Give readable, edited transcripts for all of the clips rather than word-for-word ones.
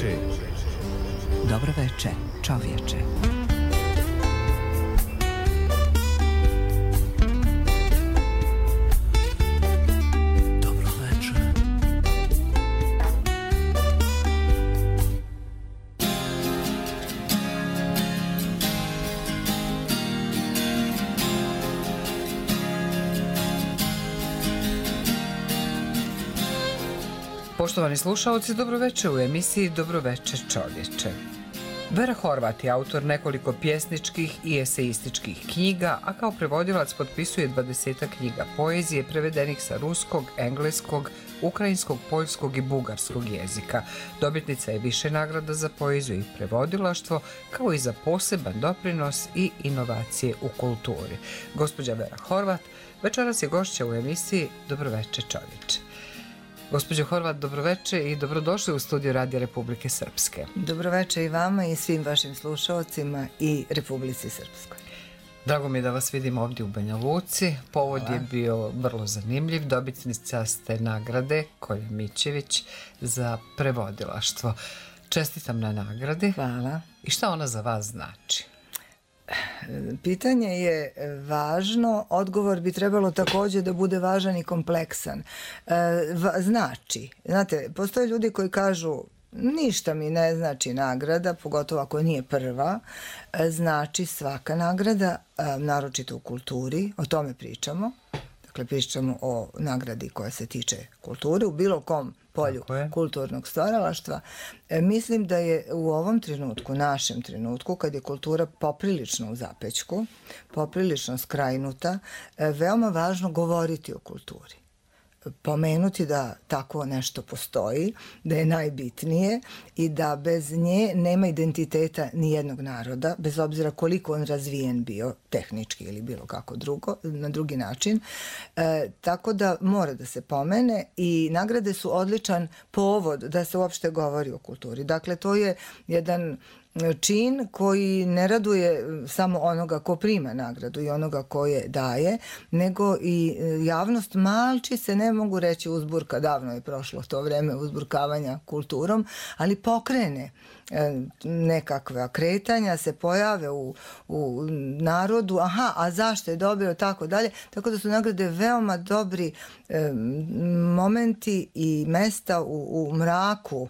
veče. Dobro veče, čovječe. Dobro veče. Poštovani slušalci, dobroveče u emisiji Dobroveče čovječe. Vera Horvat je autor nekoliko pjesničkih i eseističkih knjiga, a kao prevodilac potpisuje 20 knjiga poezije prevedenih sa ruskog, engleskog, ukrajinskog, poljskog i bugarskog jezika. Dobitnica je više nagrada za poeziju i prevodilaštvo, kao i za poseban doprinos i inovacije u kulturi. Gospođa Vera Horvat večeras je gošća u emisiji Dobroveče čovječe. Gospođo Horvat, dobroveče i dobrodošli u studiju Radija Republike Srpske. Dobroveče i vama i svim vašim slušalcima i Republici Srpskoj. Drago mi je da vas vidim ovdje u Banja Luci. Povod je bio vrlo zanimljiv. Dobitnica ste nagrade Kolja Mićević za prevodilaštvo. Čestitam na nagradi. Hvala. I šta ona za vas znači? Pitanje je važno, odgovor bi trebalo također da bude važan i kompleksan. Znači, znate, postoje ljudi koji kažu ništa mi ne znači nagrada, pogotovo ako nije prva, znači svaka nagrada, naročito u kulturi, o tome pričamo. Dakle, pričamo o nagradi koja se tiče kulture u bilo kom polju kulturnog stvaralaštva. Mislim da je u ovom trenutku, našem trenutku, kad je kultura poprilično u zapećku, poprilično skrajnuta, veoma važno govoriti o kulturi. Pomenuti da tako nešto postoji, da je najbitnije i da bez nje nema identiteta nijednog naroda, bez obzira koliko on razvijen bio tehnički ili bilo kako drugo, na drugi način. Tako da mora da se pomene i nagrade su odličan povod da se uopšte govori o kulturi. Dakle, to je jedan čin koji ne raduje samo onoga ko prima nagradu i onoga ko je daje, nego i javnost malči se, ne mogu reći uzburka, davno je prošlo to vreme uzburkavanja kulturom, ali pokrene nekakva kretanja, se pojave u narodu, aha, a zašto je dobio, tako dalje, tako da su nagrade veoma dobri momenti i mesta u mraku,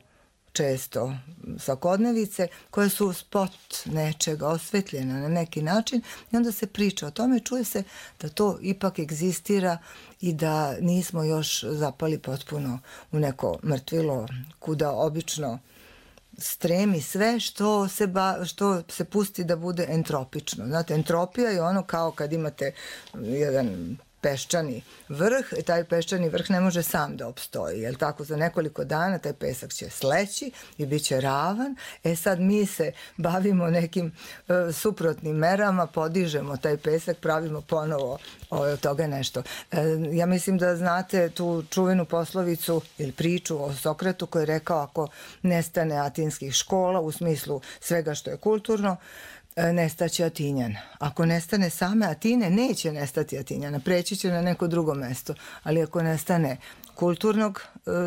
često svakodnevice, koje su spot nečega osvetljena na neki način i onda se priča o tome, čuje se da to ipak egzistira i da nismo još zapali potpuno u neko mrtvilo kuda obično stremi sve što se pusti da bude entropično. Znate, entropija je ono kao kad imate jedan peščani vrh, taj peščani vrh ne može sam da opstoji, jer tako za nekoliko dana taj pesak će sleći i bit će ravan. Sad mi se bavimo nekim suprotnim merama, podižemo taj pesak, pravimo ponovo od toga nešto. Ja mislim da znate tu čuvenu poslovicu ili priču o Sokratu koji je rekao ako nestane atinskih škola u smislu svega što je kulturno, nestaće Atinjan. Ako nestane same Atine, neće nestati Atinjana, preći će na neko drugo mesto, ali ako nestane kulturnog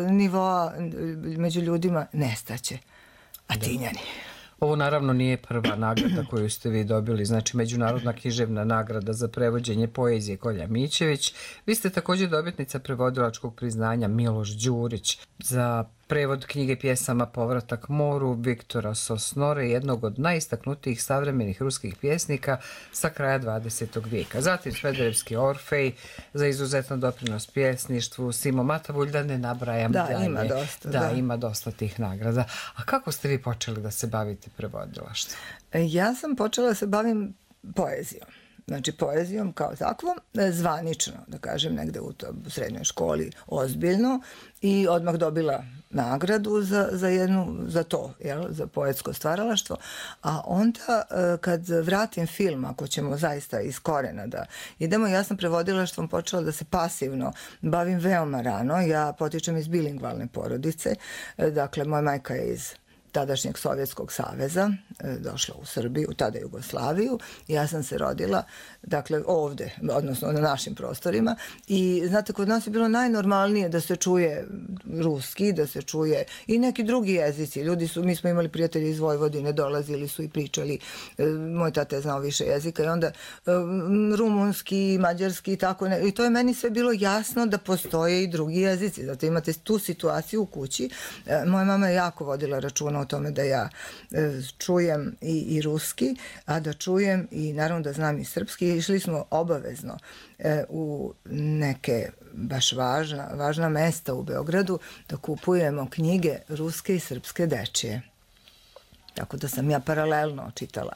nivoa među ljudima, nestaće Atinjani. Ovo naravno nije prva nagrada koju ste vi dobili, znači Međunarodna književna nagrada za prevođenje poezije Kolja Mićević. Vi ste također dobitnica prevodilačkog priznanja Miloš Đurić za prevod knjige pjesama Povratak moru Viktora Sosnore, jednog od najistaknutijih savremenih ruskih pjesnika sa kraja 20. vijeka. Zatim Smederevski Orfej za izuzetan doprinos pjesništvu, Simo Matavulj, da ne nabrajam dalje. Da, ima dosta. Da, ima dosta tih nagrada. A kako ste vi počeli da se bavite prevodilaštvom? Ja sam počela da se bavim poezijom. Znači poezijom kao takvom, zvanično, da kažem, negde u srednjoj školi, ozbiljno, i odmah dobila nagradu za to, za poetsko stvaralaštvo. A onda kad vratim film, ako ćemo zaista iz korena da idemo, ja sam prevodilaštvom počela da se pasivno bavim veoma rano. Ja potičem iz bilingvalne porodice, dakle moja majka je iz tadašnjeg Sovjetskog saveza, došla u Srbiju, tada Jugoslaviju, i ja sam se rodila, dakle, ovde, odnosno na našim prostorima, i znate, kod nas je bilo najnormalnije da se čuje ruski, da se čuje i neki drugi jezici. Mi smo imali prijatelji iz Vojvodine, dolazili su i pričali, moj tata je znao više jezika, i onda rumunski, mađarski i tako, i to je meni sve bilo jasno da postoje i drugi jezici, zato imate tu situaciju u kući. Moja mama je jako vodila računa o tome da ja čujem i ruski, a da čujem i naravno da znam i srpski. Išli smo obavezno u neke baš važna mesta u Beogradu da kupujemo knjige ruske i srpske dečije. Tako da sam ja paralelno čitala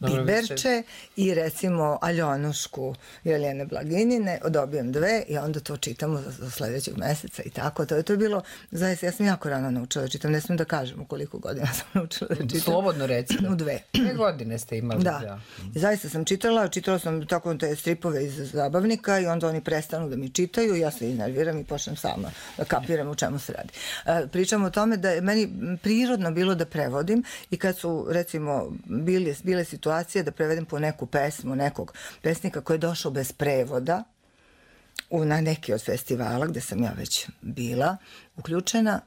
Biberče i recimo Aljonušku Jeljene Blaginjine, dobijem 2 i onda to čitamo za sledećeg meseca i tako. To je bilo, zaista, ja sam jako rano naučila da čitam, ne smijem da kažem u koliko godina sam naučila da čitam. Slobodno recimo. U 2. 2 godine ste imali. Da. Zaista sam čitala sam tako te stripove iz zabavnika i onda oni prestanu da mi čitaju, ja se iznerviram i počnem sama da kapiram u čemu se radi. Pričam o tome da je meni prirodno bilo da prevodim i kad su recimo bile situacije da prevedem po neku pesmu, nekog pesnika koji je došao bez prevoda na neki od festivala gde sam ja već bila uključena,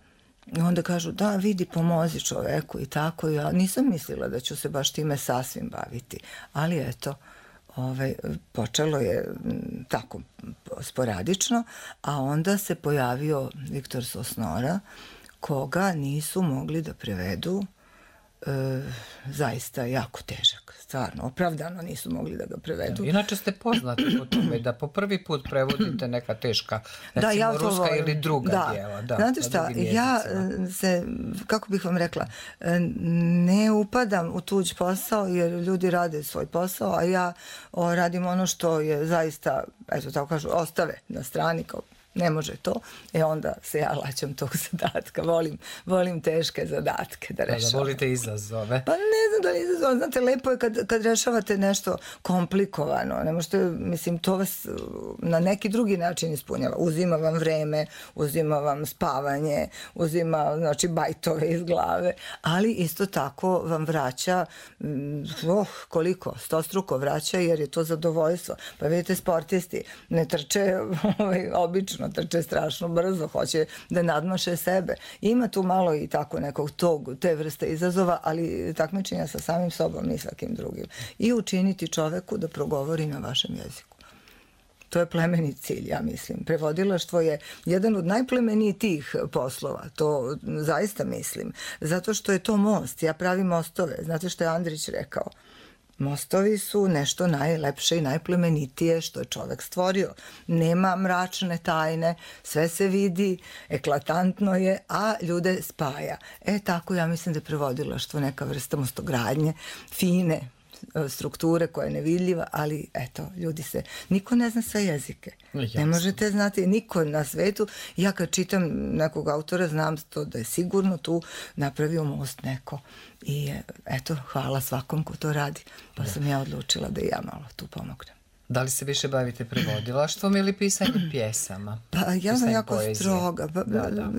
i onda kažu da vidi, pomozi čoveku i tako. Ja nisam mislila da ću se baš time sasvim baviti, ali eto, počelo je tako sporadično, a onda se pojavio Viktor Sosnora, koga nisu mogli da prevedu, zaista jako težak, stvarno, opravdano nisu mogli da ga prevedu. Inače ste poznati po tome da po prvi put prevodite neka teška, recimo ruska ili druga djela. Znate šta, ja se, kako bih vam rekla, ne upadam u tuđ posao jer ljudi rade svoj posao, a ja radim ono što je zaista, eto tako kažu, ostave na strani kao ne može to, onda se ja laćam tog zadatka. Volim teške zadatke da rešavam. Da volite izazove. Pa ne znam da li izazove. Znate, lepo je kad rešavate nešto komplikovano. Ne možete, mislim, to vas na neki drugi način ispunjava. Uzima vam vreme, uzima vam spavanje, uzima, znači, bajtove iz glave, ali isto tako vam vraća, koliko? 100struko vraća, jer je to zadovoljstvo. Pa vidite, sportisti ne trče obično, trče strašno brzo, hoće da nadmaše sebe. Ima tu malo i tako nekog te vrste izazova, ali takmičenja sa samim sobom i svakim drugim. I učiniti čoveku da progovori na vašem jeziku. To je plemenit cilj, ja mislim. Prevodilaštvo je jedan od najplemenitijih poslova, to zaista mislim. Zato što je to most, ja pravim mostove. Znate što je Andrić rekao? Mostovi su nešto najlepše i najplemenitije što je čovek stvorio. Nema mračne tajne, sve se vidi, eklatantno je, a ljude spaja. Tako ja mislim da je prevodilaštvo neka vrsta mostogradnje, fine strukture koja je nevidljiva, ali eto, niko ne zna sve jezike. Ne možete znati, niko na svetu. Ja kad čitam nekog autora, znam to da je sigurno tu napravio most neko. I eto, hvala svakom ko to radi. Pa sam ja odlučila da i ja malo tu pomognem. Da li se više bavite prevodilaštvom ili pisanjem pjesama? Pa ja sam jako stroga.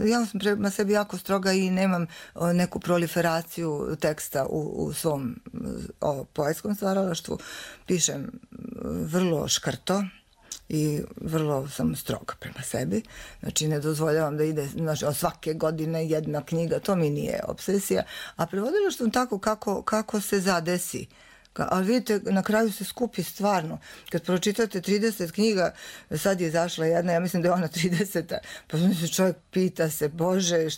Ja sam prema sebi jako stroga i nemam neku proliferaciju teksta u svom poetskom stvaralaštvu. Pišem vrlo škrto i vrlo sam stroga prema sebi. Znači, ne dozvoljavam da ide svake godine jedna knjiga, to mi nije obsesija. A prevodilaštvom tako kako se zadesi. Ali vidite, na kraju se skupi stvarno. Kad pročitate 30 knjiga, sad je izašla jedna, ja mislim da je ona 30. Pa se čovjek pita se, Bože,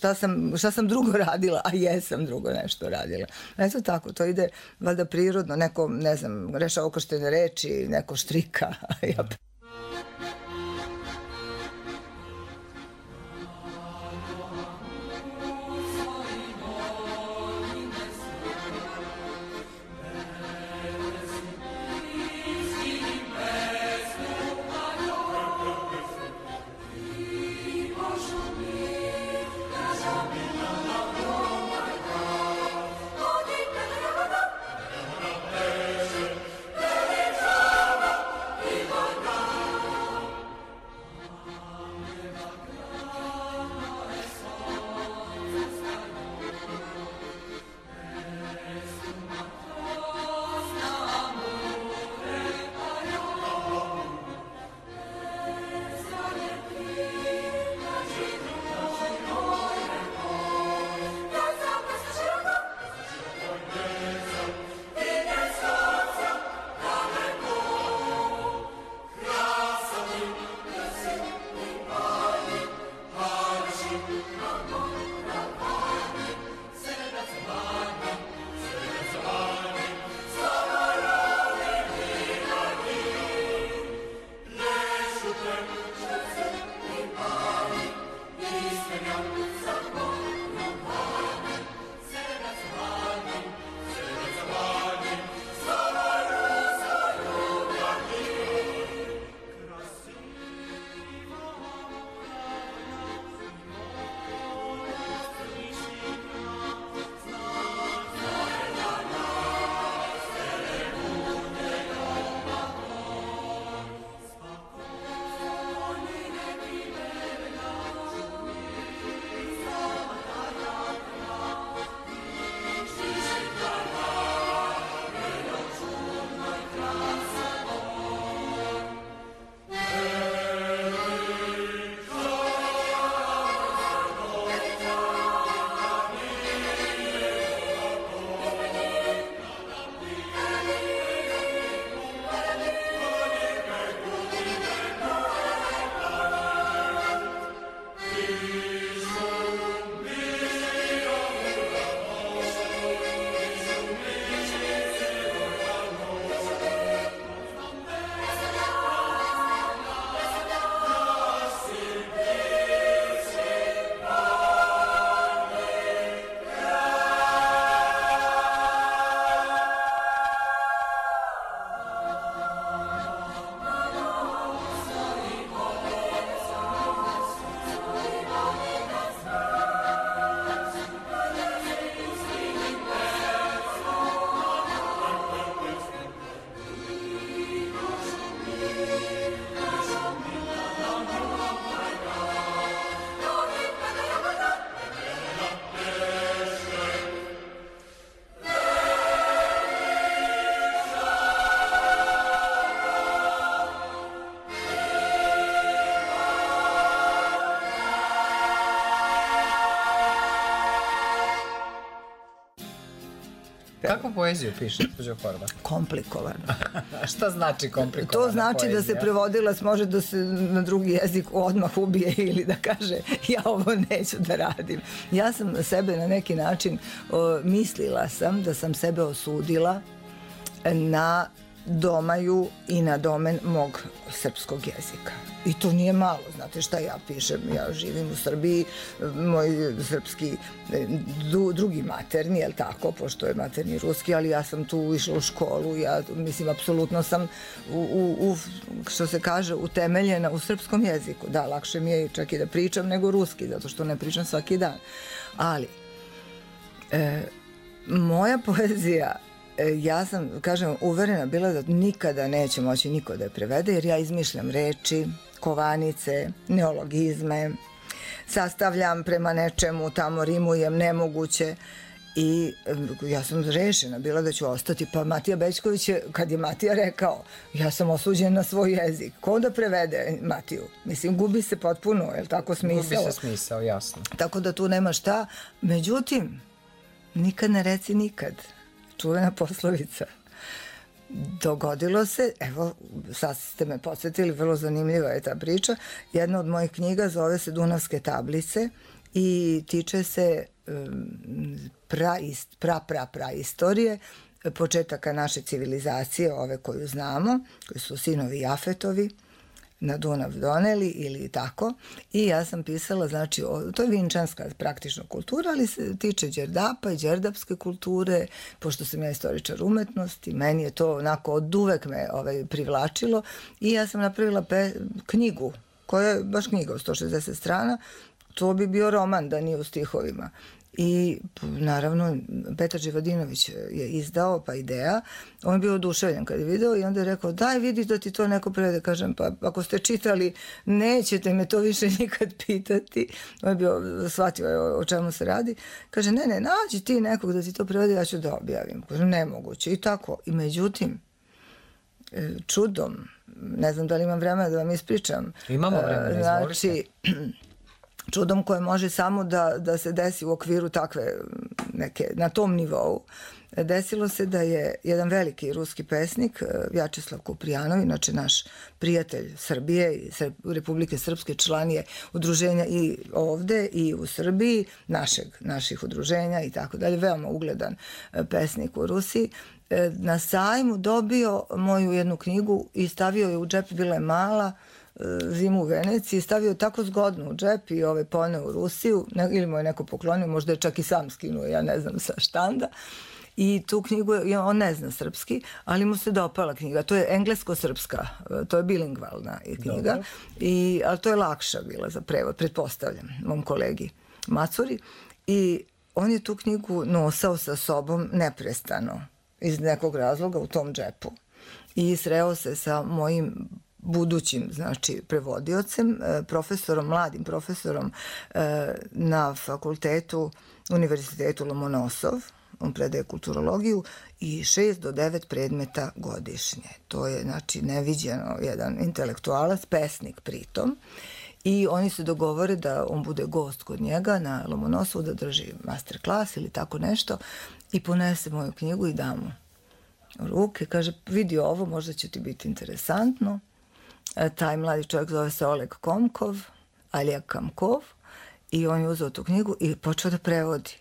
šta sam drugo radila, a jesam drugo nešto radila. Eto tako, to ide valjda prirodno, neko, ne znam, reša okrštene reči, neko štrika, ja Kako poeziju piše, gospođo Horvat? Komplikovano. Šta znači komplikovana To znači poezija? da se prevodilac može da se na drugi jezik odmah ubije ili da kaže ja ovo neću da radim. Ja sam sebe na neki način mislila sam da sam sebe osudila na domaju i na domen mog srpskog jezika. I to nije malo, znate šta ja pišem, ja živim u Srbiji, moj srpski drugi materni, jel tako, pošto je materni ruski, ali ja sam tu išla u školu, ja mislim, apsolutno sam što se kaže, utemeljena u srpskom jeziku. Da, lakše mi je čak i da pričam nego ruski, zato što ne pričam svaki dan. Ali, moja poezija, ja sam, kažem, uverena bila da nikada neće moći niko da je prevede, jer ja izmišljam reči, kovanice, neologizme, sastavljam prema nečemu, tamo rimujem nemoguće i ja sam rešena bila da ću ostati. Pa Matija Bećković je, kad je Matija rekao, ja sam osuđen na svoj jezik, ko da prevede Matiju? Mislim, gubi se potpuno, je li tako, smisao? Gubi se smisao, jasno. Tako da tu nema šta. Međutim, nikad ne reci nikad. Čuvena poslovica. Dogodilo se, evo, sad ste me podsjetili, vrlo zanimljiva je ta priča. Jedna od mojih knjiga zove se Dunavske tablice i tiče se praistorije, početaka naše civilizacije, ove koju znamo, koji su sinovi Jafetovi, na Dunav doneli ili tako. I ja sam pisala, znači, to je vinčanska praktično kultura, ali se tiče Đerdapa i đerdapske kulture, pošto sam ja istoričar umetnosti, meni je to onako od uvek me privlačilo i ja sam napravila knjigu, koja je baš knjiga od 160 strana, to bi bio roman da nije u stihovima. I naravno Petar Živadinović je izdao, pa Ideja, on je bio oduševljen kad je video i onda je rekao, daj vidi da ti to neko prevede. Kažem, pa ako ste čitali, nećete me to više nikad pitati. On je bio, shvatio o čemu se radi. Kaže, ne, nađi ti nekog da ti to prevede, ja ću da objavim. Kažem, nemoguće. I tako. I međutim, čudom, ne znam da li imam vremena da vam ispričam. Imamo vremena, izvolite. Znači, čudom koje može samo da se desi u okviru takve neke, na tom nivou. Desilo se da je jedan veliki ruski pesnik, Vjačeslav Kuprijanov, inače naš prijatelj Srbije i Republike Srpske, član je udruženja i ovde i u Srbiji, naših udruženja i tako dalje, veoma ugledan pesnik u Rusiji, na sajmu dobio moju jednu knjigu i stavio je u džep, bila je mala, Zimu u Veneciji, stavio tako zgodno u džep i poneo u Rusiju, ili mu je neko poklonio, možda je čak i sam skinuo, ja ne znam, sa štanda. I tu knjigu, on ne zna srpski, ali mu se dopala knjiga. To je englesko-srpska, to je bilingvalna knjiga, ali to je lakša bila za prevod, pretpostavljam, mom kolegi Macuri. I on je tu knjigu nosao sa sobom neprestano, iz nekog razloga u tom džepu. I sreo se sa mojim budućim, znači, prevodiocem, mladim profesorom na fakultetu, Univerzitetu Lomonosov, on predaje kulturologiju i 6 do 9 predmeta godišnje. To je, znači, neviđeno, jedan intelektualac, pesnik pritom. I oni se dogovore da on bude gost kod njega na Lomonosovu, da drži master klas ili tako nešto i ponese moju knjigu i da mu u ruke. Kaže, vidi ovo, možda će ti biti interesantno. Taj mladi čovjek zove se Oleg Komkov, Alijak Kamkov, i on je uzeo tu knjigu i počeo da prevodi.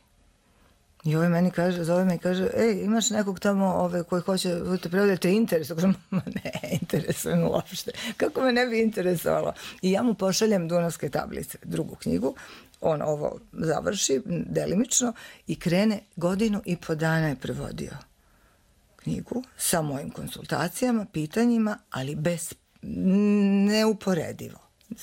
I ovaj meni kaže, zove me i kaže, ej, imaš nekog tamo koji hoće da te prevodi, te interesuje? Kažem, ne, interesuje me uopšte. Kako me ne bi interesovalo? I ja mu pošaljem Dunavske tablice, drugu knjigu, on ovo završi delimično i krene, 1,5 godinu dana je prevodio knjigu sa mojim konsultacijama, pitanjima, ali neuporedivo.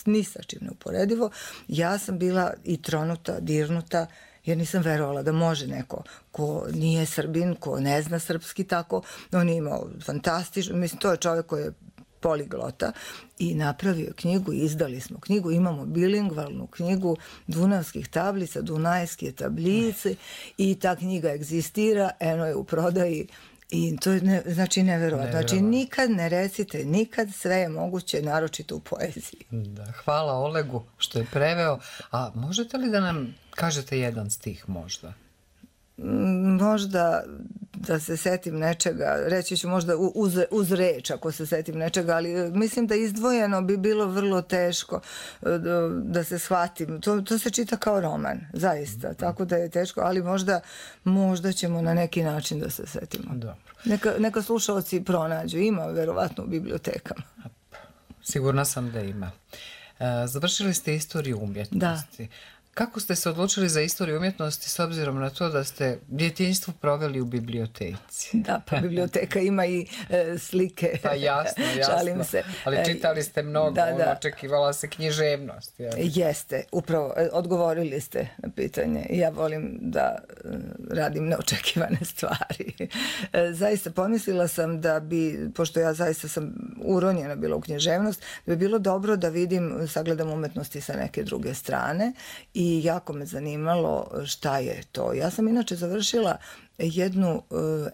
Ni sa čim neuporedivo. Ja sam bila i tronuta, dirnuta, jer nisam verovala da može neko ko nije Srbin, ko ne zna srpski tako. On je imao fantastično, mislim, to je čovjek koji je poliglota i napravio knjigu i izdali smo knjigu. Imamo bilingvalnu knjigu Dunavskih tablica, Dunajske tablice i ta knjiga egzistira, eno je u prodaji. I to je znači neverovatno. Znači nikad ne recite, nikad, sve je moguće, naročito u poeziji. Da, hvala Olegu što je preveo. A možete li da nam kažete jedan stih možda? Možda da se setim nečega, reći ću možda uz reč ako se setim nečega, ali mislim da izdvojeno bi bilo vrlo teško da se shvatim. To se čita kao roman, zaista, tako da je teško, ali možda ćemo na neki način da se setimo. Dobro. Neka slušalci pronađu, ima verovatno u bibliotekama. Sigurna sam da ima. Završili ste istoriju umjetnosti. Kako ste se odlučili za istoriju umjetnosti s obzirom na to da ste djetinjstvo proveli u biblioteci? Da, pa biblioteka ima i slike. Pa jasno. Šalim se. Ali čitali ste mnogo, očekivala se književnost. Jeste, upravo, odgovorili ste na pitanje. Ja volim da radim neočekivane stvari. Zaista pomislila sam da bi, pošto ja zaista sam uronjena bila u književnost, da bi bilo dobro da sagledam umetnosti sa neke druge strane i jako me zanimalo šta je to. Ja sam inače završila jednu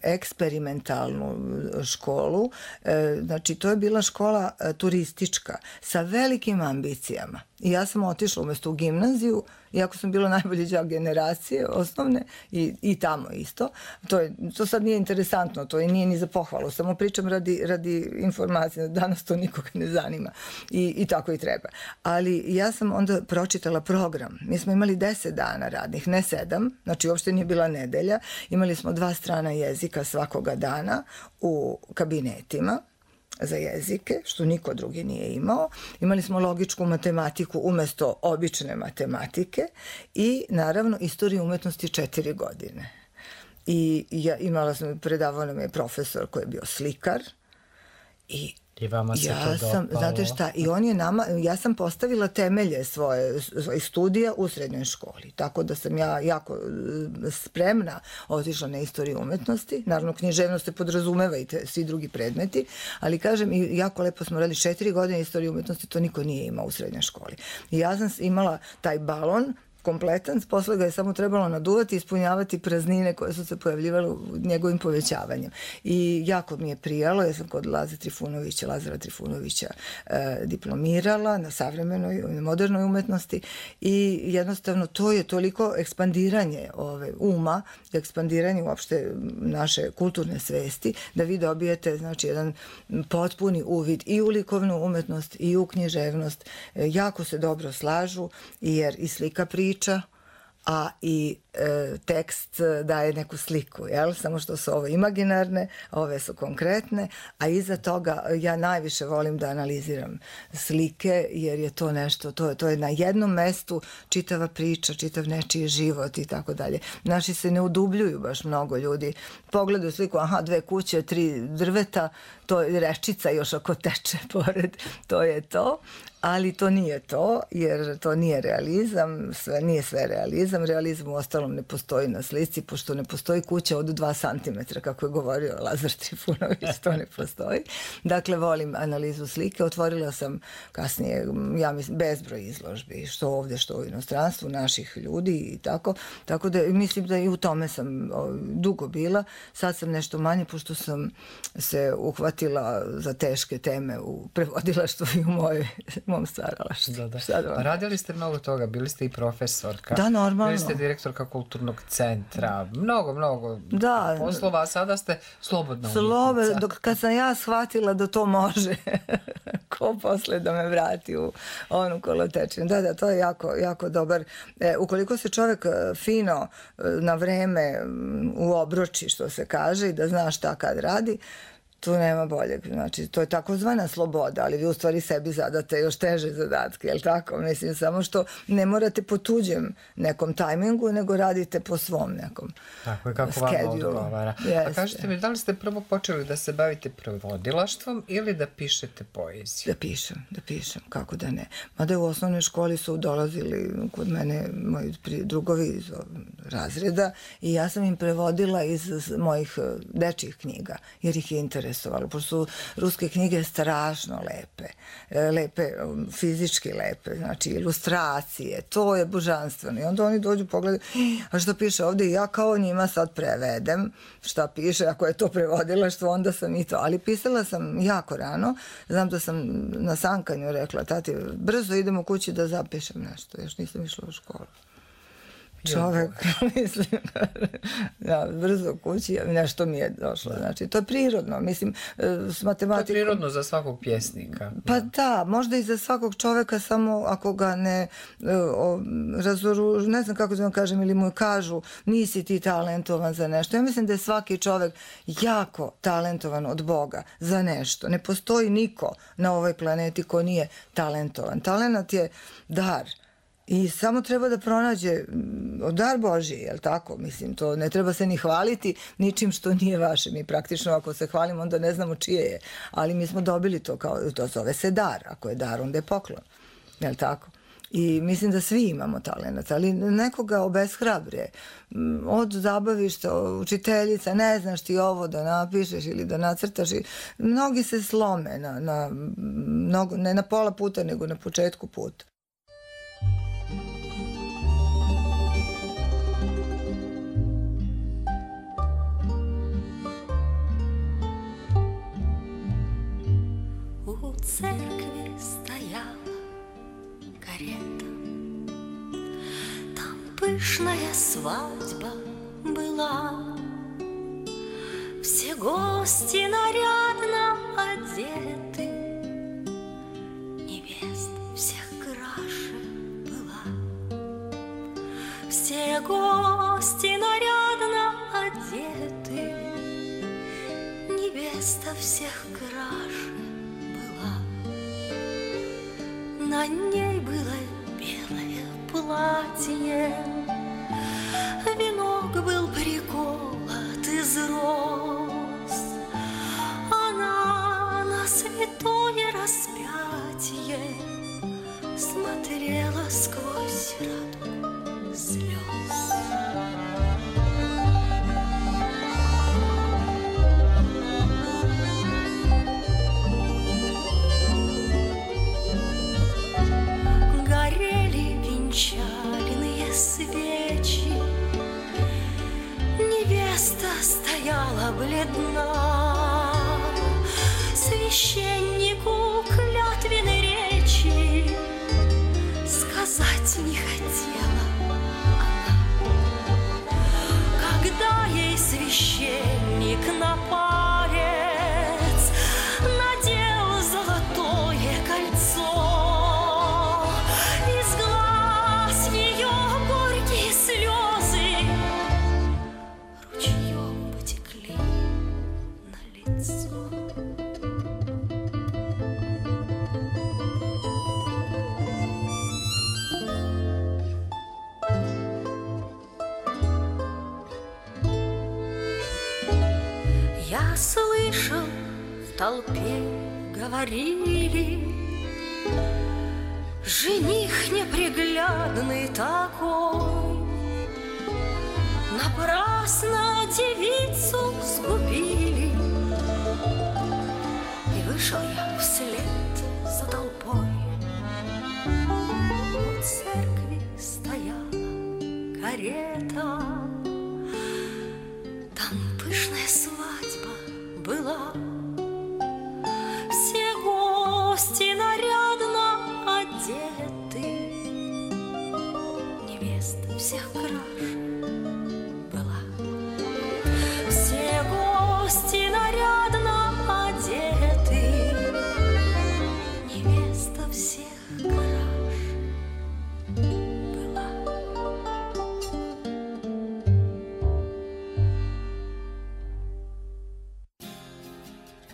eksperimentalnu školu, znači to je bila škola turistička sa velikim ambicijama. I ja sam otišla umjesto u gimnaziju, iako sam bila najbolji đak generacije osnovne i tamo isto. To sad nije interesantno, to nije ni za pohvalu, samo pričam radi informacije, danas to nikoga ne zanima i tako i treba. Ali ja sam onda pročitala program. Mi smo imali 10 dana radnih, ne 7, znači uopšte nije bila nedelja. Imali smo 2 strana jezika svakoga dana u kabinetima za jezike, što niko drugi nije imao. Imali smo logičku matematiku umjesto obične matematike i naravno istoriju umetnosti 4 godine. I imala sam, predavao nam je profesor koji je bio slikar i vama se to dopalo. Znate šta, i on je ja sam postavila temelje svojih studija u srednjoj školi, tako da sam ja jako spremna otišla na istoriju umetnosti. Naravno, književnost se podrazumeva i svi drugi predmeti, ali kažem, i jako lepo smo radili 4 godine istoriju umetnosti, to niko nije imao u srednjoj školi. I ja sam imala taj balon kompletan, posle ga je samo trebalo naduvati i ispunjavati praznine koje su se pojavljivale njegovim povećavanjem. I jako mi je prijalo, ja sam kod Lazara Trifunovića diplomirala na savremenoj, na modernoj umetnosti i jednostavno to je toliko ekspandiranje uma, ekspandiranje uopšte naše kulturne svesti, da vi dobijete znači jedan potpuni uvid i u likovnu umetnost i u književnost. Jako se dobro slažu jer i slika priča, a i tekst daje neku sliku, jel? Samo što su ovo imaginarne, ove su konkretne, a iza toga ja najviše volim da analiziram slike, jer je to nešto, to je na jednom mestu čitava priča, čitav nečiji život i tako dalje. Naši se ne udubljuju baš mnogo ljudi. Pogledaju sliku, 2 kuće, 3 drveta, to je rečica još ako teče pored, to je to. Ali to nije to, jer to nije realizam, nije sve realizam. Realizam u ostalom ne postoji na slici, pošto ne postoji kuća od 2 cm, kako je govorio Lazar Trifunović, to ne postoji. Dakle, volim analizu slike. Otvorila sam kasnije, ja mislim, bezbroj izložbi, što ovdje, što u inostranstvu, naših ljudi i tako. Tako da mislim da i u tome sam dugo bila. Sad sam nešto manje, pošto sam se uhvatila za teške teme u prevodilaštvu i u mom stvaralaštvu. Radili ste mnogo toga, bili ste i profesorka. Da, normalno. Bili ste direktorka kulturnog centra, mnogo poslova, a sada ste slobodna umjetnica. Kad sam ja shvatila da to može, ko posle da me vrati u onu kolotečinu. Da, to je jako dobar. Ukoliko se čovjek fino na vreme uobroči, što se kaže, i da zna šta kad radi, tu nema boljeg. Znači, to je takozvana sloboda, ali vi u stvari sebi zadate još teže zadatke, jel tako? Mislim, samo što ne morate po tuđem nekom tajmingu, nego radite po svom nekom tako je, kako vam odgovara. A kažete mi, da li ste prvo počeli da se bavite prevodilaštvom ili da pišete poeziju? Da pišem, kako da ne. Mada u osnovnoj školi su dolazili kod mene moji drugovi iz razreda i ja sam im prevodila iz mojih dečjih knjiga, jer ih je interesovalo, pošto su ruske knjige strašno lepe, fizički lepe, znači ilustracije, to je božanstveno. I onda oni dođu, pogledaju, a što piše ovdje, i ja kao njima sad prevedem šta piše, ako je to prevodilaštvo, onda sam i to. Ali pisala sam jako rano, znam da sam na sankanju rekla, tati, brzo idem u kući da zapišem nešto, još nisam išla u školu. čovek, mislim, ja, brzo kući, nešto mi je došlo. Znači, to je prirodno, mislim, s matematikom... To je prirodno za svakog pjesnika. Pa da, možda i za svakog čoveka, samo ako ga ne razoružu, ne znam kako da vam kažem, ili mu kažu nisi ti talentovan za nešto. Ja mislim da je svaki čovek jako talentovan od Boga za nešto. Ne postoji niko na ovoj planeti ko nije talentovan. Talenat je dar. I samo treba da pronađe dar Božji, je li tako? Mislim, to ne treba se ni hvaliti ničim što nije vaše. Mi praktično ako se hvalimo, onda ne znamo čije je. Ali mi smo dobili to, to zove se dar. Ako je dar, onda je poklon. Je li tako? I mislim da svi imamo talent, ali nekoga obeshrabre. Od zabavišta, učiteljica, ne znaš ti ovo da napišeš ili da nacrtaš. Mnogi se slome ne na pola puta, nego na početku puta. У церкви стояла карета, там пышная свадьба была. Все гости нарядно одеты, невеста всех краше была. Все гости нарядно одеты, невеста всех краше. На ней было белое платье, венок был приколот из роз. Она на святое распятие смотрела сквозь радугу слез. Венчальные свечи, невеста стояла бледна, священнику клятвенной речи сказать не хотела она. Когда ей священник на палец надел золотое кольцо, слезы ручьем потекли на лицо. Я слышал, в толпе говорили: жених неприглядный такой, напрасно девицу сгубили. И вышел я вслед за толпой. У церкви стояла карета, там пышная свадьба была. Все гости нарядно одеты, невеста всех краше была. Все гости нарядно одеты, невеста всех краше была.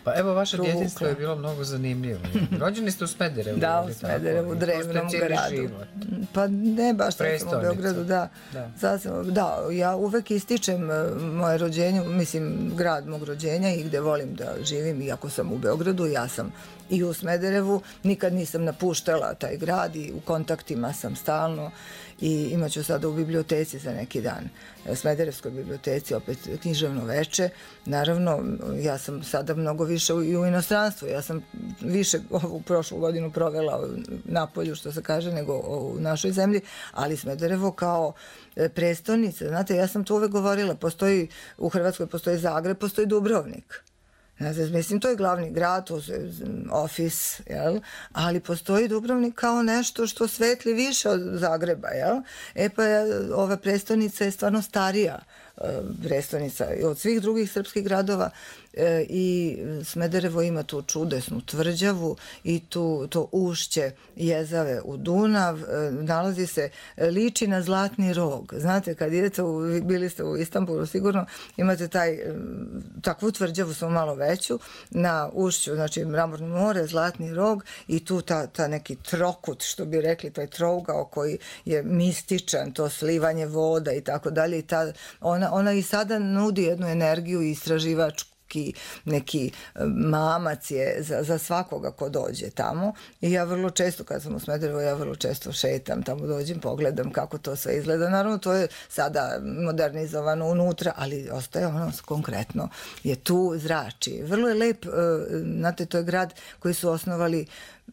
Pa evo, vaše djetinjstvo je bilo mnogo zanimljivo. Rođeni ste u Smederevu. Da, u Smederevu, u drevnom gradu. Život. Pa ne baš tako u Beogradu, da. Da, ja uvek ističem moje rođenje, mislim grad mog rođenja i gde volim da živim, iako sam u Beogradu, ja sam i u Smederevu, nikad nisam napuštala taj grad i u kontaktima sam stalno i imaću sada u biblioteci za neki dan, Smederevskoj biblioteci, opet književno veče. Naravno, ja sam sada mnogo više i u inostranstvu, ja sam više ovu prošlu godinu provela na polju, što se kaže, nego u našoj zemlji, ali Smederevo kao prestonica, znate, ja sam to uvek govorila, postoji, u Hrvatskoj postoji Zagreb, postoji Dubrovnik. Znate, mislim, to je glavni grad, to je ofis, jel? Ali postoji Dubrovnik kao nešto što svetli više od Zagreba, jel? Pa ova prestonica je stvarno starija prestonica od svih drugih srpskih gradova i Smederevo ima tu čudesnu tvrđavu i to ušće jezave u Dunav, nalazi se, liči na Zlatni rog. Znate, kad idete, bili ste u Istanbulu, sigurno imate takvu tvrđavu, samo malo veću, na ušću, znači Mramorno more, Zlatni rog i tu ta neki trokut, što bi rekli, taj trougao koji je mističan, to slivanje voda i tako dalje. Ona i sada nudi jednu energiju i istraživačku, neki mamac je za svakoga ko dođe tamo i ja vrlo često, kad sam u Smederevu, ja vrlo često šetam tamo, dođem, pogledam kako to sve izgleda. Naravno, to je sada modernizovano unutra, ali ostaje ono konkretno, je tu, zrači. Vrlo je lep, znate, to je grad koji su osnovali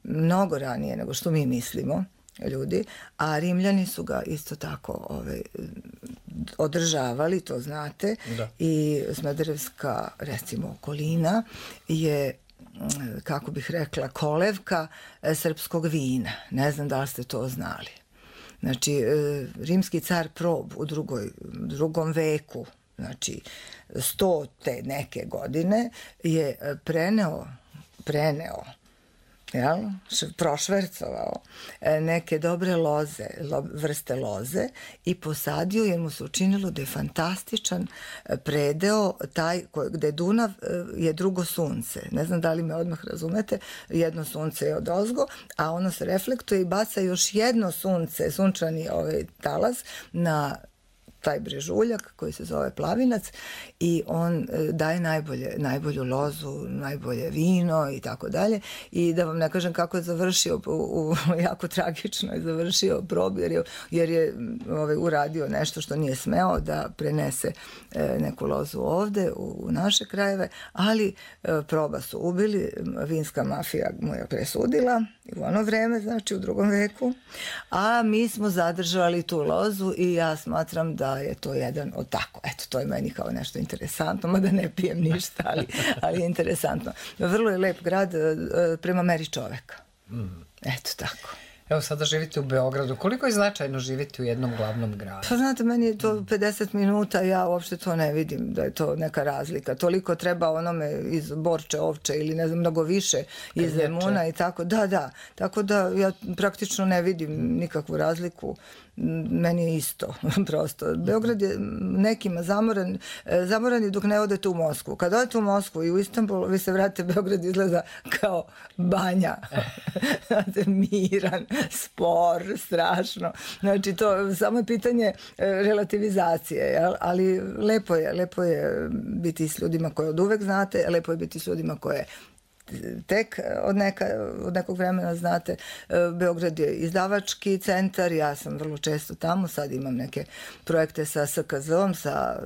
mnogo ranije nego što mi mislimo, ljudi, a Rimljani su ga isto tako održavali, to znate, i Smederevska, recimo, okolina je, kako bih rekla, kolevka srpskog vina. Ne znam da li ste to znali. Znači, rimski car Prob u drugom veku, znači 100 te neke godine, je preneo prošvercovao neke dobre loze, vrste loze i posadio, jer mu se učinilo da je fantastičan predeo taj gde Dunav je drugo sunce. Ne znam da li me odmah razumete, jedno sunce je odozgo, a ono se reflektuje i baca još jedno sunce, sunčani talas na taj brežuljak koji se zove Plavinac i on daje najbolju lozu, najbolje vino i tako dalje. I da vam ne kažem kako je završio, jako tragično je završio Prob, jer je uradio nešto što nije smeo, da prenese neku lozu ovde u naše krajeve, ali Proba su ubili, vinska mafija mu je presudila u ono vreme, znači u drugom veku, a mi smo zadržali tu lozu i ja smatram da je to jedan od tako. Eto, to je meni kao nešto interesantno, mada ne pijem ništa, ali je interesantno. Vrlo je lep grad prema meri čoveka. Eto, tako. Evo, sada živite u Beogradu. Koliko je značajno živjeti u jednom glavnom gradu? Pa znate, meni je to 50 minuta, ja uopšte to ne vidim da je to neka razlika. Toliko treba onome iz Borče, Ovče ili ne znam, mnogo više iz Zemuna i tako. Da. Tako da ja praktično ne vidim nikakvu razliku. Meni je isto, prosto. Beograd je nekima zamoran dok ne odete u Moskvu. Kad odete u Moskvu i u Istanbul, vi se vratite, Beograd izgleda kao banja. Znate, miran, spor, strašno. Znači, to samo je pitanje relativizacije, jel? Ali lepo je biti s ljudima koje od uvek znate, lepo je biti s ljudima koje tek od nekog vremena znate. Beograd je izdavački centar, ja sam vrlo često tamo, sad imam neke projekte sa SKZ-om, sa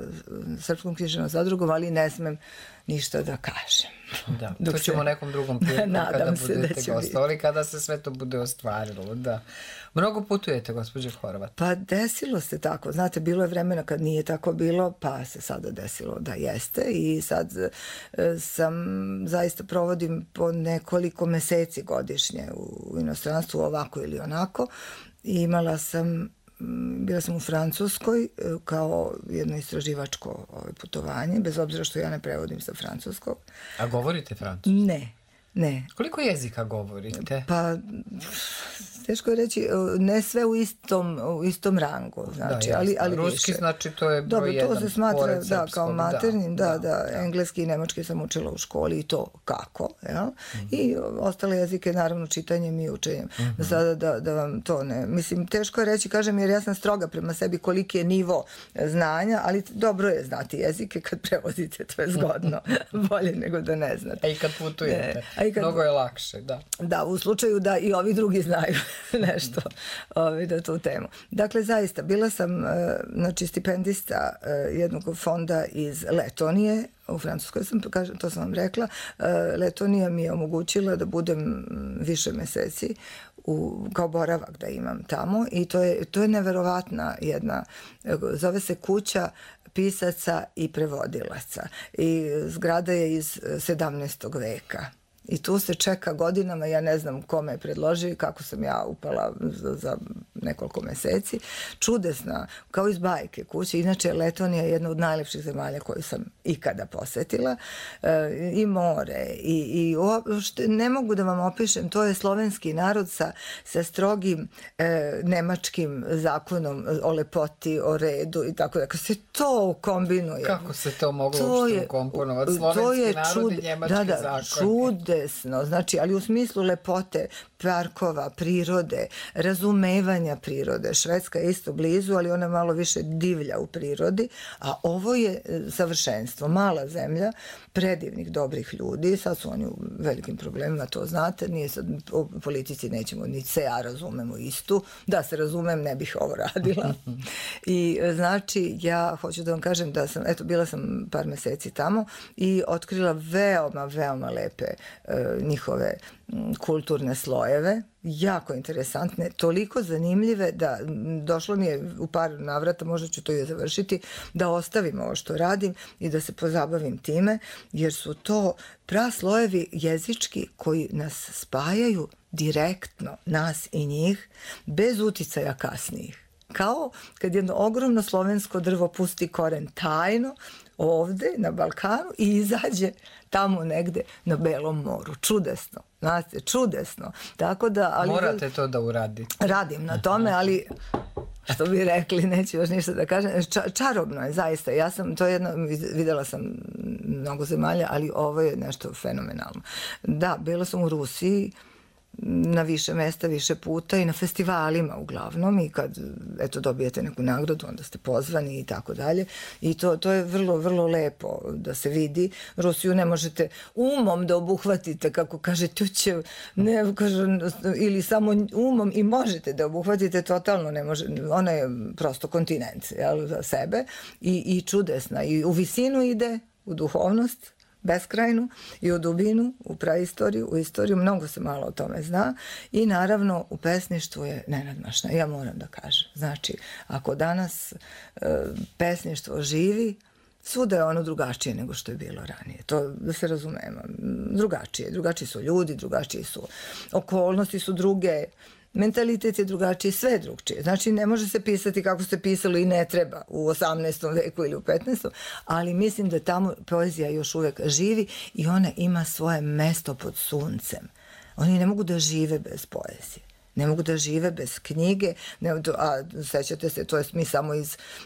Srpskom književnom zadrugom, ali ne smem ništa da kažem. Da, to ćemo nekom drugom prilikom kada budete gostovali, kada se sve to bude ostvarilo. Da. Mnogo putujete, gospođo Horvat? Pa desilo se tako. Znate, bilo je vremena kad nije tako bilo, pa se sada desilo da jeste i sad zaista provodim po nekoliko meseci godišnje u inostranstvu, ovako ili onako. I bila sam u Francuskoj kao jedno istraživačko putovanje, bez obzira što ja ne prevodim sa francuskog. A govorite francuski? Ne. Koliko jezika govorite? Pa, teško je reći, ne sve u istom rangu, znači, ali ruski, više. Znači, to je broj jedan. Dobro, to se smatra, kao maternjim, da. Engleski i nemački sam učila u školi i to kako, jel? I ostale jezike, naravno, čitanjem i učenjem. Sada da vam to ne... Mislim, teško je reći, kažem, jer ja sam stroga prema sebi koliki je nivo znanja, ali dobro je znati jezike kad prevodite, to je zgodno. Bolje nego da ne znate. A i kad putujete. Mnogo je lakše, da. Da, u slučaju da i ovi drugi znaju nešto na tu temu. Dakle, zaista, bila sam stipendista jednog fonda iz Letonije, u Francuskoj sam, to sam vam rekla. Letonija mi je omogućila da budem više meseci kao boravak da imam tamo i to je neverovatna jedna, zove se Kuća pisaca i prevodilaca i zgrada je iz 17. veka. I tu se čeka godinama, ja ne znam kome je predložio i kako sam ja upala za nekoliko meseci. Čudesna, kao iz bajke kuće. Inače, Letonija je jedna od najlepših zemalja koju sam ikada posetila. I more, i ne mogu da vam opišem, to je slovenski narod sa strogim nemačkim zakonom o lepoti, o redu i tako da. Kako se to kombinuje. Kako se to moglo uopšte komponovati? Slovenski narod i njemački zakon. Čudesno, znači, ali u smislu lepote parkova, prirode, razumevanja prirode. Švedska je isto blizu, ali ona malo više divlja u prirodi, a ovo je savršenstvo. Mala zemlja, predivnih, dobrih ljudi, sad su oni u velikim problemima, to znate, nije sad, o politici nećemo, ni se ja razumemo istu, da se razumem, ne bih ovo radila. I znači, ja hoću da vam kažem da sam, bila sam par meseci tamo i otkrila veoma, veoma lepe njihove kulturne slojeve, jako interesantne, toliko zanimljive da došlo mi je u par navrata, možda ću to i završiti, da ostavim ovo što radim i da se pozabavim time, jer su to praslojevi jezički koji nas spajaju direktno, nas i njih, bez uticaja kasnijih. Kao kad jedno ogromno slovensko drvo pusti koren tajno ovde na Balkanu i izađe tamo negde na Belom moru. Čudesno. Znate, čudesno. Tako da, ali morate to da uradite. Radim na tome, ali što bi rekli, neću još ništa da kažem. Čarobno je, zaista. Videla sam mnogo zemalja, ali ovo je nešto fenomenalno. Da, bila sam u Rusiji, na više mesta, više puta i na festivalima uglavnom i kad dobijete neku nagradu onda ste pozvani i tako dalje i to je vrlo, vrlo lepo da se vidi. Rusiju ne možete umom da obuhvatite, kako kaže Tučev, ili samo umom i možete da obuhvatite, totalno ne može, ona je prosto kontinent za sebe i čudesna i u visinu ide, u duhovnost beskrajnu i u dubinu, u praistoriju, u istoriju, mnogo se malo o tome zna i naravno u pesništvu je nenadmašna, ja moram da kažem. Znači, ako danas pesništvo živi, svuda je ono drugačije nego što je bilo ranije. To da se razumemo. Drugačiji su ljudi, drugačiji su okolnosti, su druge, mentalitet je drugačiji, sve je drugčije. Znači, ne može se pisati kako se pisalo i ne treba u 18. veku ili u 15. Ali mislim da tamo poezija još uvek živi i ona ima svoje mesto pod suncem. Oni ne mogu da žive bez poezije. Ne mogu da žive bez knjige, a sećate se, to je mi samo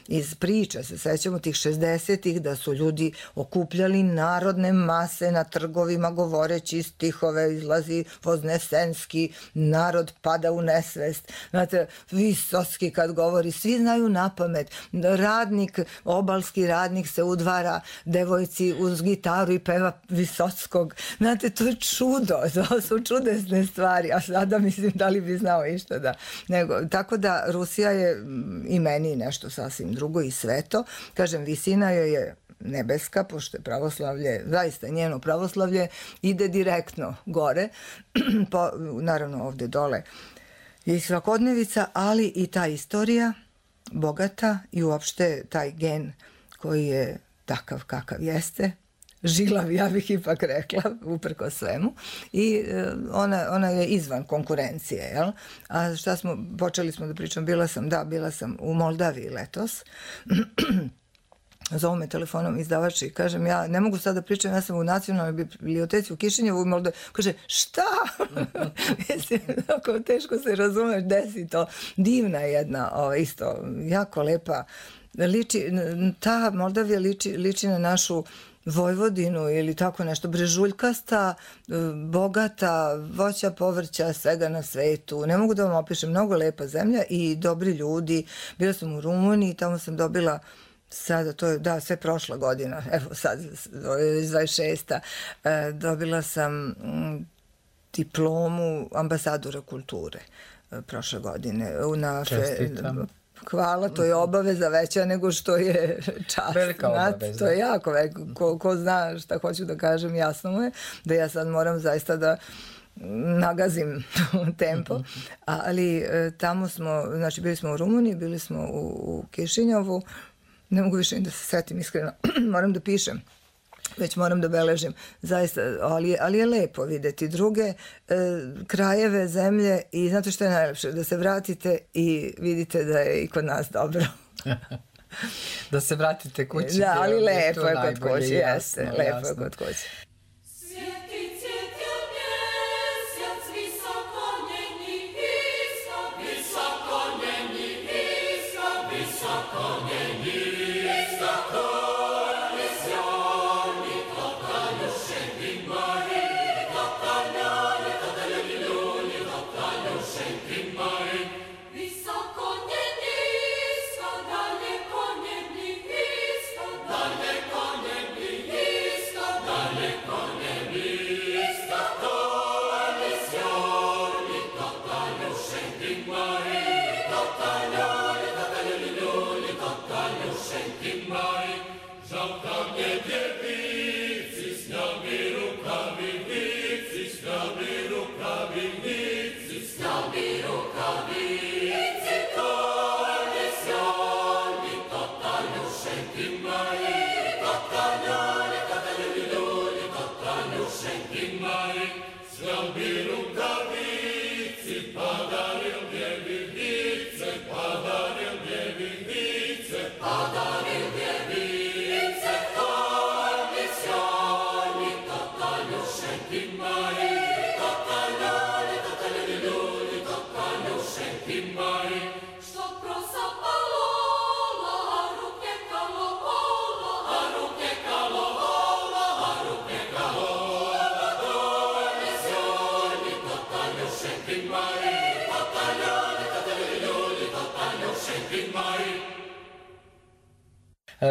iz priča, se sećamo tih 60-ih da su ljudi okupljali narodne mase na trgovima govoreći stihove, izlazi Voznesenski, narod pada u nesvest. Znate, Visocki kad govori, svi znaju napamet. Radnik, obalski radnik se udvara devojci uz gitaru i peva Visockog. Znate, to je čudo, to su čudesne stvari, a sada mislim da li bi znao išta da. Tako da Rusija je i meni nešto sasvim drugo i sveto. Kažem, visina joj je nebeska, pošto je pravoslavlje, zaista njeno pravoslavlje ide direktno gore, naravno ovde dole je svakodnevica, ali i ta istorija bogata i uopšte taj gen koji je takav kakav jeste, žilav, ja bih ipak rekla, uprko svemu. I ona je izvan konkurencije, jel? A počeli smo da pričam, bila sam u Moldaviji letos. Zovu me telefonom izdavač i kažem, ja ne mogu sad da pričam, ja sam u nacionalnoj biblioteci u Kišinjevu i Moldavi. Kaže, šta? Mislim, tako teško se razumeš, desi to. Divna je jedna, isto, jako lepa. Ta Moldavija liči na našu Vojvodinu ili tako nešto, brežuljkasta, bogata, voća, povrća, svega na svetu. Ne mogu da vam opišem, mnogo lepa zemlja i dobri ljudi. Bila sam u Rumuniji, tamo sam dobila sada, to je, sve prošla godina, evo sad, 26. Dobila sam diplomu ambasadora kulture prošle godine. Čestitam. Hvala, to je obaveza veća nego što je čast. Velika obaveza. To je jako veliko. Ko zna šta hoću da kažem, jasno mu je da ja sad moram zaista da nagazim tempo, ali tamo smo, znači bili smo u Rumuniji, bili smo u Kišinjovu, ne mogu više ni da se setim iskreno, moram da pišem, već moram da beležim, zaista, ali je lepo videti druge krajeve, zemlje i znate što je najlepše, da se vratite i vidite da je i kod nas dobro. Da se vratite kući. Da, ali lepo je kod kući, jeste, lepo je kod kući.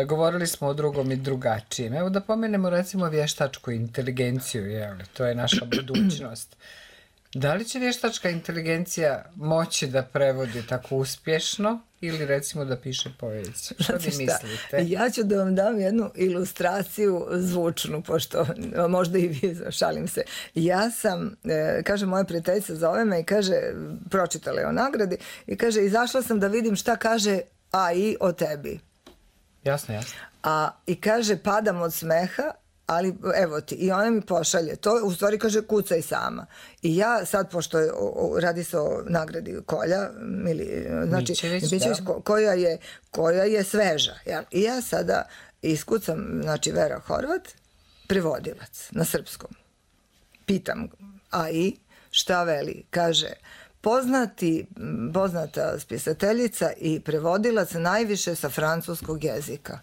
Govorili smo o drugom i drugačijem. Evo da pomenemo recimo vještačku inteligenciju, to je naša budućnost. Da li će vještačka inteligencija moći da prevodi tako uspješno ili recimo da piše poeziju? Što vi mislite? Ja ću da vam dam jednu ilustraciju zvučnu, pošto možda i vi, šalim se. Ja sam, kaže moja prijateljica zove me i kaže, pročitala je o nagradi i kaže, izašla sam da vidim šta kaže AI o tebi. Jasno. I kaže, padam od smeha, ali evo ti, i ona mi pošalje to, u stvari kaže, kucaj sama. I ja sad, pošto radi se o nagradi Kolja, znači Mićević, koja je sveža. Ja? I ja sada iskucam, znači Vera Horvat, prevodilac na srpskom. Pitam AI šta veli, kaže, poznata spisateljica i prevodilac najviše sa francuskog jezika.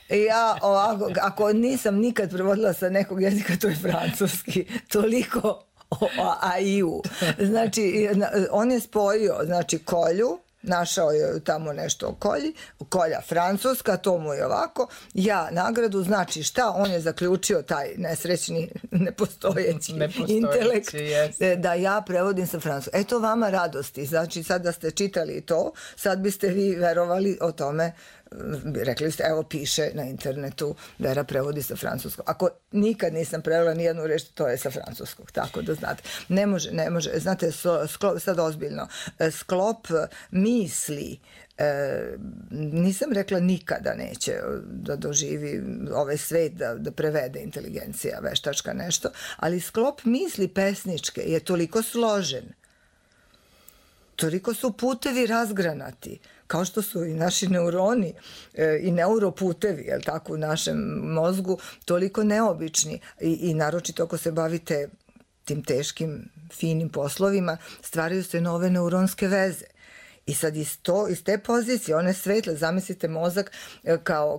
I ja ovako, ako nisam nikad prevodila sa nekog jezika, to je francuski. Toliko o AI-u. Znači, on je spojio, znači, Kolju, našao je tamo nešto o Kolji, Kolja francuska, to mu je ovako, ja nagradu, znači šta, on je zaključio taj nesrećni, nepostojeći intelekt, da ja prevodim sa francuskog. Eto vama radosti, znači sad da ste čitali to, sad biste vi verovali o tome, rekli ste, evo piše na internetu, Vera prevodi sa francuskog. Ako nikad nisam prevela ni jednu reč, to je sa francuskog, tako da znate. Ne može, znate, sad ozbiljno, sklop misli, nisam rekla nikada neće da doživi ovaj svet, da prevede inteligencija veštačka nešto, ali sklop misli pesničke je toliko složen, toliko su putevi razgranati, kao što su i naši neuroni i neuroputevi, jel tako, u našem mozgu, toliko neobični i naročito ako se bavite tim teškim, finim poslovima, stvaraju se nove neuronske veze. I sad iz te pozicije, one svetle, zamislite mozak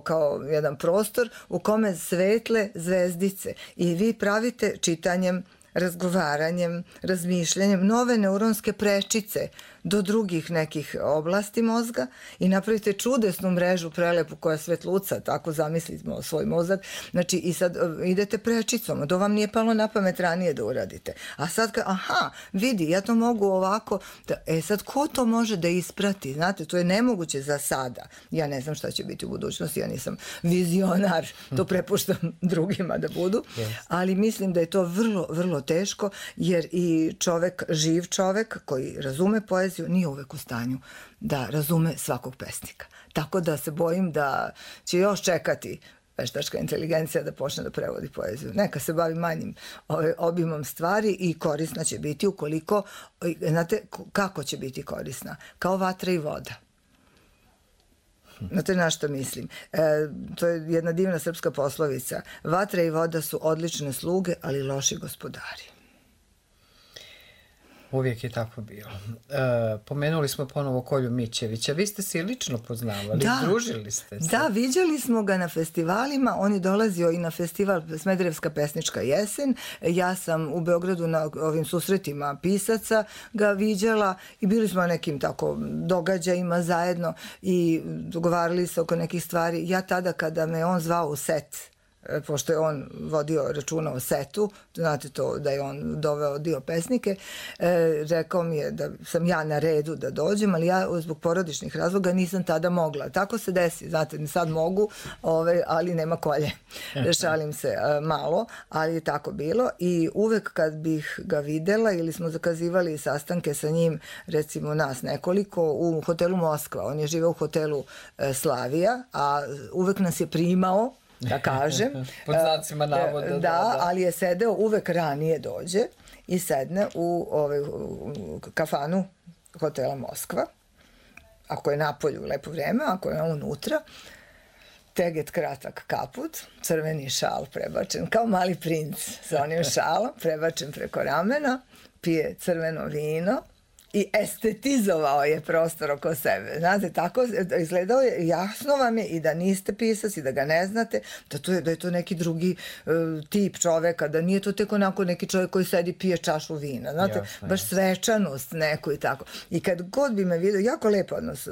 kao jedan prostor u kome svetle zvezdice i vi pravite čitanjem razgovaranjem, razmišljanjem, nove neuronske prečice do drugih nekih oblasti mozga i napravite čudesnu mrežu prelepu koja svetluca, tako zamislimo svoj mozak. Znači i sad idete prečicom, to vam nije palo na pamet ranije da uradite. A sad aha, vidi, ja to mogu ovako, sad ko to može da isprati? Znate, to je nemoguće za sada. Ja ne znam šta će biti u budućnosti, ja nisam vizionar, to prepuštam drugima da budu, ali mislim da je to vrlo, vrlo teško, jer i čovek, živ čovek koji razume poeziju, nije uvek u stanju da razume svakog pesnika. Tako da se bojim da će još čekati veštačka inteligencija da počne da prevodi poeziju. Neka se bavi manjim obimom stvari i korisna će biti ukoliko, znate kako će biti korisna? Kao vatra i voda. Znate na što mislim? To je jedna divna srpska poslovica. Vatra i voda su odlične sluge, ali loši gospodari. Uvijek je tako bilo. Pomenuli smo ponovo Kolju Mićevića. Vi ste se i lično poznavali, družili ste se. Da, viđali smo ga na festivalima. On je dolazio i na festival Smederevska pesnička jesen. Ja sam u Beogradu na ovim susretima pisaca ga viđala i bili smo na nekim tako događajima zajedno i dogovarali se oko nekih stvari. Ja tada kada me on zvao u set, pošto je on vodio računa o setu, znate to da je on doveo dio pesnike, rekao mi je da sam ja na redu da dođem, ali ja zbog porodičnih razloga nisam tada mogla. Tako se desi, znate, sad mogu, ali nema kolje. Šalim se malo, ali je tako bilo i uvek kad bih ga videla ili smo zakazivali sastanke sa njim, recimo nas nekoliko, u hotelu Moskva, on je živeo u hotelu Slavija, a uvek nas je primao, da kažem. Pod znacima navoda. Da, ali je sedeo uvek ranije dođe i sedne u kafanu hotela Moskva. Ako je napolju lepo vreme, ako je unutra, teget kratak kaput, crveni šal prebačen, kao mali princ sa onim šalom, prebačen preko ramena, pije crveno vino i estetizovao je prostor oko sebe. Znate, tako izgledao je, jasno vam je i da niste pisac i da ga ne znate, da je to neki drugi tip čoveka, da nije to tek onako neki čovjek koji sedi pije čašu vina. Znate, baš svečanost neku i tako. I kad god bi me vidio, jako lep odnos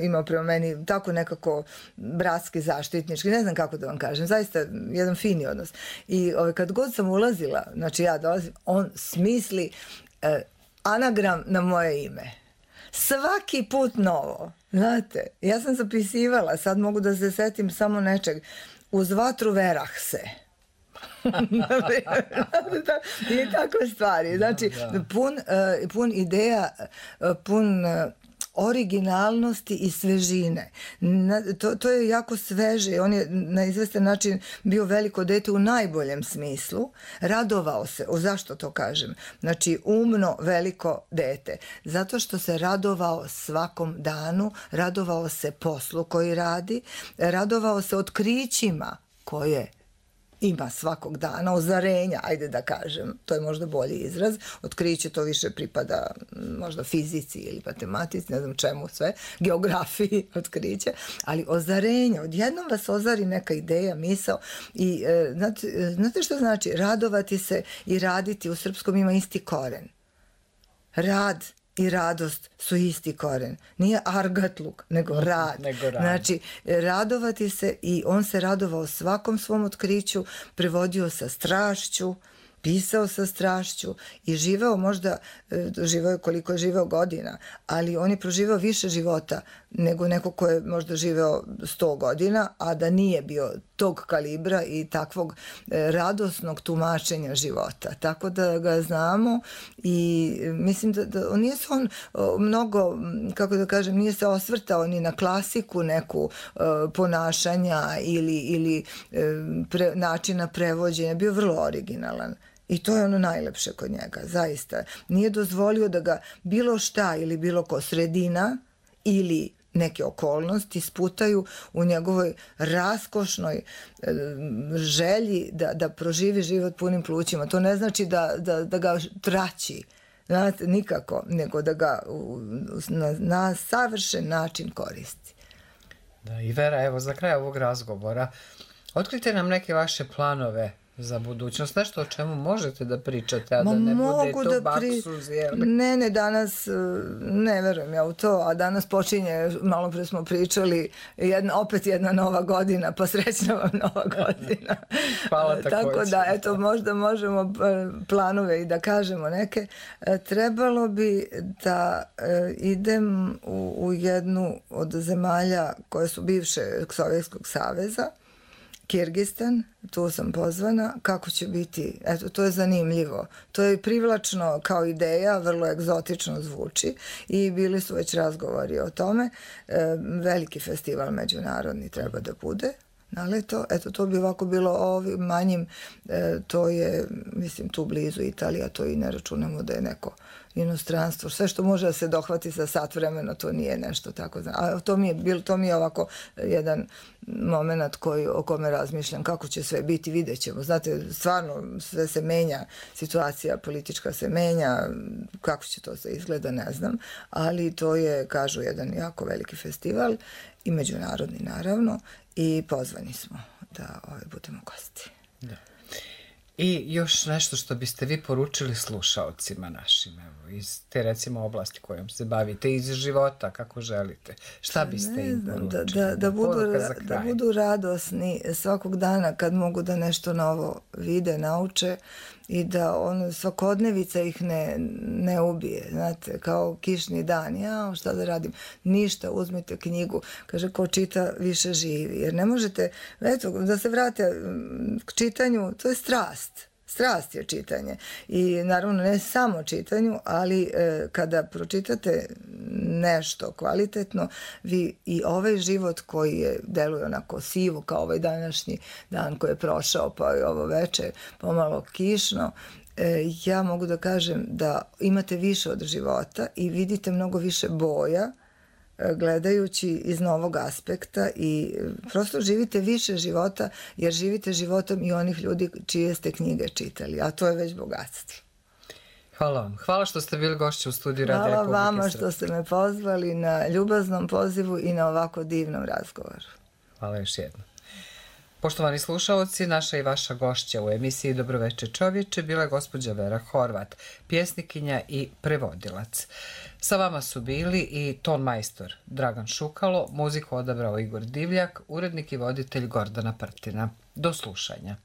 imao prema meni, tako nekako bratski, zaštitnički, ne znam kako da vam kažem, zaista jedan fini odnos. I kad god sam ulazila, znači ja dolazim, on smisli anagram na moje ime. Svaki put novo. Znate, ja sam zapisivala, sad mogu da se setim samo nečeg. Uz vatru verah se. I takve stvari. Znači, pun ideja, pun originalnosti i svežine. To je jako sveže. On je na izvestan način bio veliko dete u najboljem smislu. Radovao se. Zašto to kažem? Znači, umno veliko dete. Zato što se radovao svakom danu, radovao se poslu koji radi, radovao se otkrićima koje ima svakog dana, ozarenja, ajde da kažem, to je možda bolji izraz, otkriće to više pripada možda fizici ili matematici, ne znam čemu sve, geografiji otkriće, ali ozarenja, odjednom vas ozari neka ideja, misao i znate što znači? Radovati se i raditi u srpskom ima isti koren. Rad i radost su isti koren. Nije argatluk, nego rad. Znači, radovati se i on se radovao svakom svom otkriću, prevodio sa strašću, pisao sa strašću i živeo možda, živeo koliko je živeo godina, ali on je proživao više života nego neko ko je možda živeo 100 godina, a da nije bio tog kalibra i takvog radosnog tumačenja života. Tako da ga znamo i mislim da on nije se on mnogo, kako da kažem, nije se osvrtao ni na klasiku neku ponašanja ili načina prevođenja, bio vrlo originalan. I to je ono najlepše kod njega, zaista. Nije dozvolio da ga bilo šta ili bilo ko sredina ili neke okolnosti sputaju u njegovoj raskošnoj želji da proživi život punim plućima. To ne znači da ga traći, znate, nikako, nego da ga na savršen način koristi. Da, i Vera, evo, za kraj ovog razgovora, otkrite nam neke vaše planove za budućnost? Nešto o čemu možete da pričate, a da ne bude to baksuz, jel? Ne, danas ne verujem ja u to, a danas počinje, malo pre smo pričali, opet jedna nova godina, pa srećna vam nova godina. Hvala takođe. Tako da, eto, možda možemo planove i da kažemo neke. Trebalo bi da idem u jednu od zemalja koje su bivše Sovjetskog saveza, Kirgistan, tu sam pozvana, kako će biti, eto, to je zanimljivo. To je privlačno kao ideja, vrlo egzotično zvuči i bili su već razgovori o tome. Veliki festival međunarodni treba da bude na leto. Eto, to bi ovako bilo ovim manjim, to je, mislim, tu blizu Italija, to i ne računamo da je neko inostranstvo. Sve što može da se dohvati za sat vremena, to nije nešto tako. A to mi je ovako jedan moment o kome razmišljam, kako će sve biti, vidjet ćemo. Znate, stvarno sve se menja, situacija politička se menja, kako će to se izgleda, ne znam, ali to je, kažu, jedan jako veliki festival i međunarodni, naravno, i pozvani smo da budemo gosti. Da. I još nešto što biste vi poručili slušaocima našim, evo, iz te, recimo, oblasti kojom se bavite, iz života, kako želite. Šta biste im poručili? Da budu radosni svakog dana kad mogu da nešto novo vide, nauče i da svakodnevica ih ne ubije. Znate, kao kišni dan, šta da radim? Ništa, uzmite knjigu. Kaže, ko čita više živi. Jer ne možete, eto, da se vrate k čitanju, to je strast. Strast je čitanje. I naravno ne samo čitanju, ali kada pročitate nešto kvalitetno, vi i ovaj život koji je deluje onako sivo, kao ovaj današnji dan koji je prošao, pa i ovo veče pomalo kišno, ja mogu da kažem da imate više od života i vidite mnogo više boja gledajući iz novog aspekta i prosto živite više života, jer živite životom i onih ljudi čije ste knjige čitali, a to je već bogatstvo. Hvala vam. Hvala što ste bili gošći u studiju Radio Republike Srpske. Hvala vama što ste me pozvali na ljubaznom pozivu i na ovako divnom razgovoru. Hvala još jednom. Poštovani slušaoci, naša i vaša gošća u emisiji Dobroveče čovječe bila je gospođa Vera Horvat, pjesnikinja i prevodilac. Sa vama su bili i ton majstor Dragan Šukalo, muziku odabrao Igor Divljak, urednik i voditelj Gordana Prtina. Do slušanja.